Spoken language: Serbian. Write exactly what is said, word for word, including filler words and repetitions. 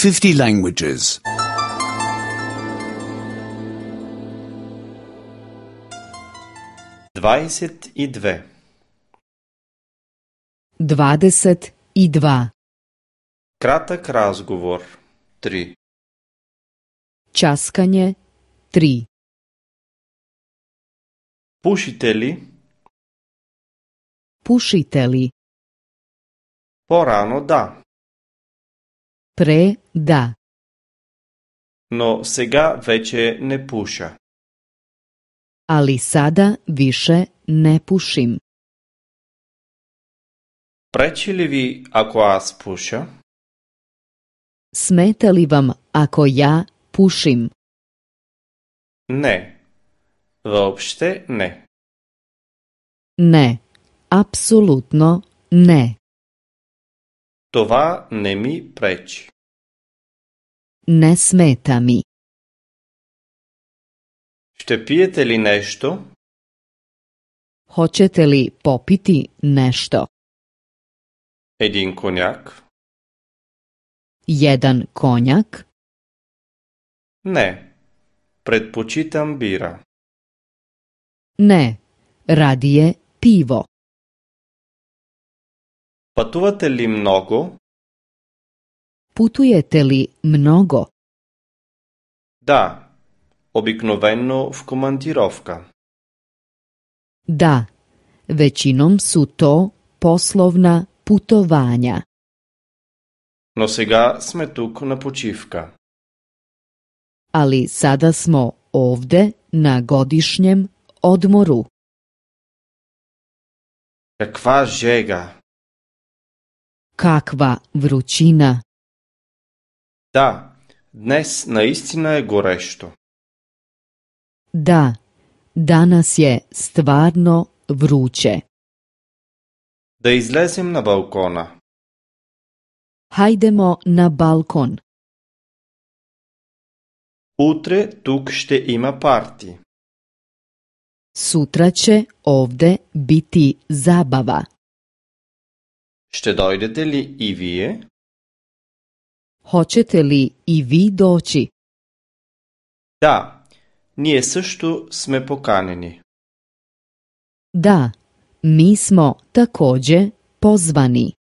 fifty languages. dvadeset i dve. Dvadeset i dva. Кратък разговор. три. Časkanje. Tri. Пушите ли? Pušite li? По-рано да. Pre da. Но сега вече не пуша. Ali sada više ne pušim. Пречи ли ви, ако аз пуша? Smeta li vam ako ja pušim? Не. Въобще не. Ne. Apsolutno ne. Това не ми пречи. Ne smeta mi. Ще пиете ли нещо? Hoćete li popiti nešto? Един коняк? Jedan konjak? Не. Предпочитам бира. Ne. Radije pivo. Пътувате ли много? Putujete li mnogo? Да. Обикновено в командировка. Da. Većinom su to poslovna putovanja. Но сега сме тук на почивка. Ali sada smo ovde na godišnjem odmoru. Каква жега! Kakva vrućina! Да, днес наистина е горещо. Da, danas je stvarno vruće. Да излезем на балкона. Hajdemo na balkon. Утре тук ще има парти. Sutra će ovde biti zabava. Ще дойдете ли и вие? Hoćete li i vi doći? Да, ние също сме поканени. Da, mi smo takođe pozvani.